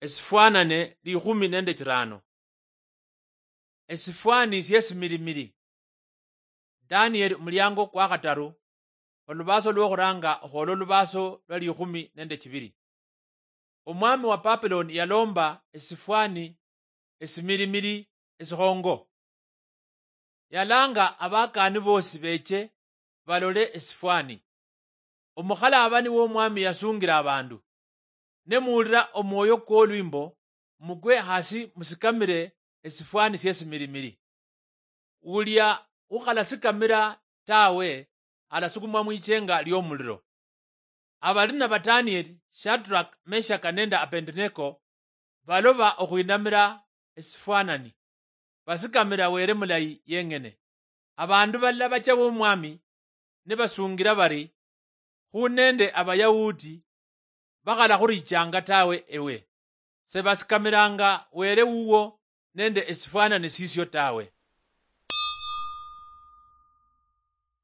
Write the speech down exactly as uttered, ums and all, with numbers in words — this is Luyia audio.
Esifwanane likhumi nende chirano. Esifwani siesimilimili. Danieli, omuliango kwa khataru, olubaso lwokhuranga okhwola olubaso lwa likhumi nende chibili. Omwami wa Babuloni yalomba esifwani esimilimili esikhongo. Yalanga abakani bosi beche balole esifwani. Omukhalabani womwami yasungira abandu, "Ne muwulira omwoyo kwolwimbo, mukwe hasi musikamire esifwani siesimilimili. Wulia ukhalasikamira tawe, alasukumwa mwichenga liomuliro." Abalina ba Danieli, Shadrach, Meshach nende Abednego baloba okhwinamira esifwanani, basikamira Wele mulayi yeng'ene. Abandu balala bacha womwami nibasungira bari, "Khu nende Abayahudi bakhalakhurichanga tawe ewe, sebasikamiranga Wele wuwo nende esifwanani sisio tawe."